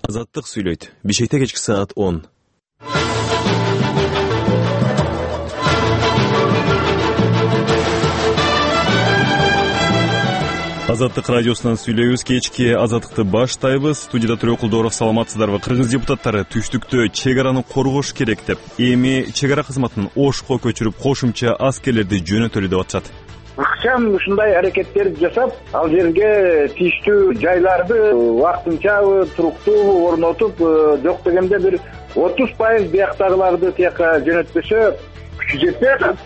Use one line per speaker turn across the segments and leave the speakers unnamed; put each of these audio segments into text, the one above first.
Азаттык сүйлөйт. Бишкекте кечки саат 10. Азаттык радиосунан сүйлөйбүз. Кечки Азаттыкты баштайбыз. Студияда Төрөкулдоров, саламатсыздарбы? Кыргыз депутаттары түштүктө чек араны коргош керек деп, эми чек ара кызматын Ошко көчүрүп, кошумча аскерлерди жөнөтөлү деп атышат.
Ыкчам ушундай аракеттерди жасап, ал жерге тийиштүү жайларды вакытынчабы, туруктуубу орнотуп, жок дегенде бир 30% бияктагыларды тияка жөнөтпөсө күчү жетпей.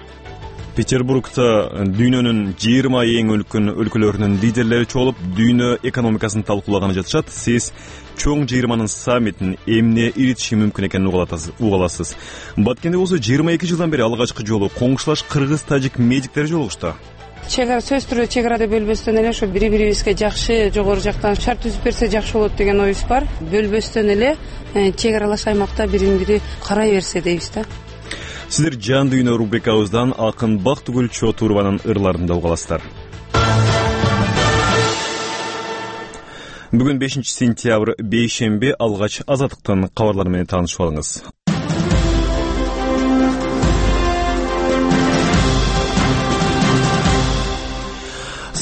Петербургда дүйнөнүн 20 эң үлкөн өлкөлөрүнүн лидерлери чогулуп, дүйнө экономикасын талкуулаганы жатышат. Сиз чоң 20-нын саммитин эмне иритиши мүмкүн экенин уга аласыз. Баткенде болсо 22 жылдан бери алгачкы жолу коңшулаш кыргыз-тажик медиктери жолугушту.
Чек ара сөз түрү чек арада бөлбөстөн эле ошо бири-бирибизге жакшы, жогору жактан шарт түзүп берсе жакшы болот деген оюбуз бар. Бөлбөстөн эле чек аралаш аймакта бирин-бири карай берсе дейбиз да.
Сиздер жан дүйнө рубрикабыздан Акын Бактыгүл Чотурованын ырларында угаласыздар. Бүгүн 5 сентябрь бейшемби, алгач Азаттыктын кабарлары менен таанышып алыңыз.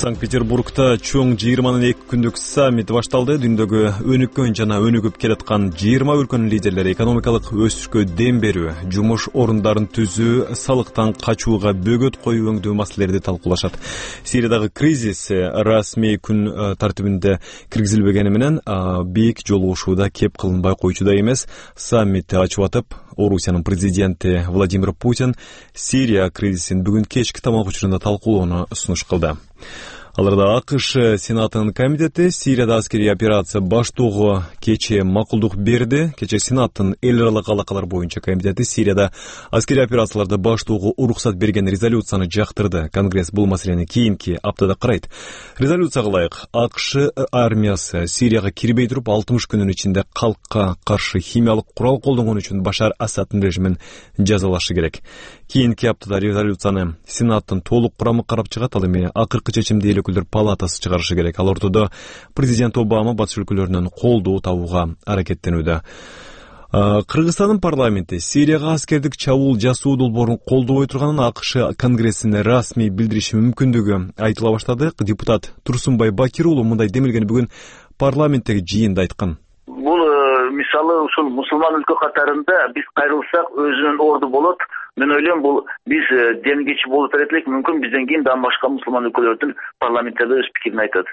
Санкт-Петербургда чоң 20-нын 2 күндүк саммити башталды. Дүйнөдөгү өнүккөн жана өнүгүп келаткан 20 өлкөнүн лидерлери экономикалык өсүшкө дем берүү, жумуш орундарын түзүү, салыктан качууга бөгөт коюу өңдүү маселелерди талкуулашат. Сириядагы кризис расмий күн тартибинде киргизилбегени менен бийик жолугушууда кеп кылынбай койчу эмес. Саммитти ачып атып, Орусиянын президенти Владимир Путин Сирия кризисин бүгүн кечки тамак учурунда талкуулоону сунуш кылды. Аларда АКШ Сенатынын комитети Сирияда аскерий операция баштоого кече макулдук берди. Кече Сенаттын эл аралык алакалар боюнча комитети Сирияда аскерий операцияларды баштоого уруксат берген резолюцияны жактырды. Конгресс бул маселени кийинки аптада карайт. Резолюцияга ылайык АКШ армиясы Сирияга кирбей туруп 60 күнүн ичинде калкка каршы химиялык курал колдонгон үчүн Башар Асаддын режимин жазалашы керек. Кийинки аптада резолюцияны Сенаттын толук курамы карап чыгат. Ал эми акыркы чечимди эл өкүлдөр палатасы чыгарышы керек. Ал ортодо президент Обама батыш өлкөлөрүнөн колдоо табууга аракеттенүүдө. Кыргызстандын парламенти Сирияга аскердик чабуул жасоо долбоорун колдобой турганын АКШ Конгрессине расмий билдириши мүмкүндүгү айтыла баштады. Депутат Турсунбай Бакир уулу мындай демилгени бүгүн парламенттеги жыйында айткан.
Бул мисалы ушул мусулман өлкө катарында биз кайрылсак өзүнүн орду болот. Мен ойлойм, бул биз демгечи болуп берет элек, мүмкүн бизден кийин дагы башка мусулман өлкөлөрдүн парламенттерде өз пикирин айтат.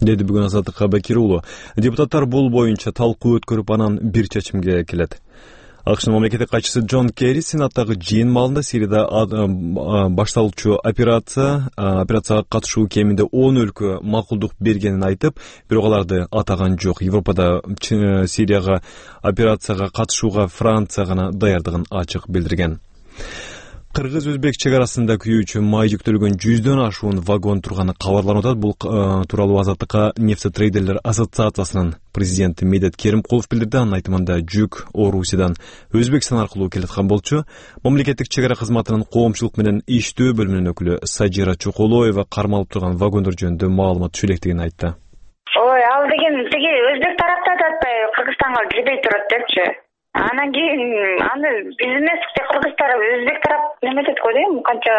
Деди бүгүн Азаттыкка Бакир уулу. Депутаттар бул боюнча талкуу өткөрүп, анан бир чечимге келет. АКШнын мамлекеттик катчысы Джон Керри Сенаттагы жыйын маалында Сирияда башталуучу операцияга катышуу кеминде 10 өлкө макулдук бергенин айтып, бирок аларды атаган жок. Европада Сирияга операцияга катышууга Франция гана даярдыгын ачык билдирген. Кыргыз-өзбек чек арасында күйүүчү май жүктөлгөн 100дөн ашуун вагон турганы кабарланып атат. Бул тууралуу Азаттыкка нефтетрейдерлер ассоциациясынын президенти Медет Керимкулов билдирди. Анын айтымында жүк Орусиядан Өзбекстан аркылуу келаткан болчу. Мамлекеттик чек ара кызматынын коомчулук менен иштөө бөлүмүнүн өкүлү Сажира Чоколоева кармалып турган вагондор жөнүндө маалымат түшү электигин айтты.
Ал деген тиги өзбек тарапта да атпай Кыргызстанга кирбей турат депчи. Анан кийин аны биз эмес, Кыргыз тарап, өзбек тарап неме деп койдум, канча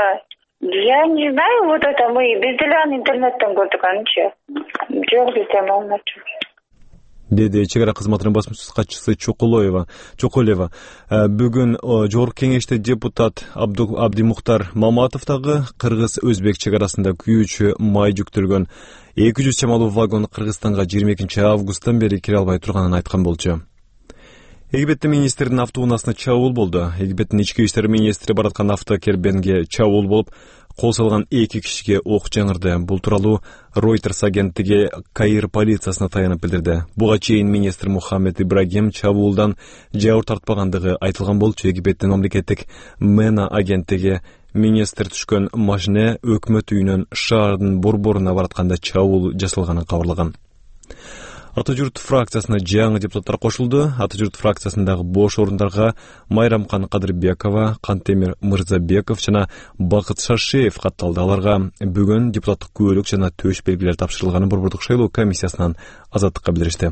я не знаю, вот это мы биз деле аны интернеттен көрдүк анчы. Жок, бизде маалымат жок.
Деди чек ара кызматынын басмасөз катчысы Чоколева. Бүгүн жогорку кеңеште депутат Абдимухтар Маматов дагы кыргыз-өзбек чек арасында күйүүчү май жүктөлгөн 200 чамалуу вагон Кыргызстанга 22 августтан бери кире албай турганын айткан болчу. Египеттин министрдин автоунаасына чабуул болду. Египеттин ички иштер министри бараткан автокербенге чабуул болуп, кол салган 2 кишиге ок жаңырды. Бул тууралуу Reuters агенттиги Каир полициясына таянып билдирди. Буга чейин министр Мухаммед Ибрагим чабуулдан жабыр тартпагандыгы айтылган болчу. Египеттин мамлекеттик MENA агенттиги министр түшкөн машина өкмөт үйүнөн шаардын борборуна баратканда чабуул жасалганын кабарлаган. Ата журт фракциясына жаңы депутаттар кошулду. Ата журт фракциясындагы бош орундарга Майрамкан Кадырбекова, Кантемир Мырзабеков жана Бакыт Шашеев катталды. Аларга бүгүн депутаттык күбөлүк жана төш белгилер тапшырылганын Борбордук шайлоо комиссиясынан Азаттыкка билдиришти.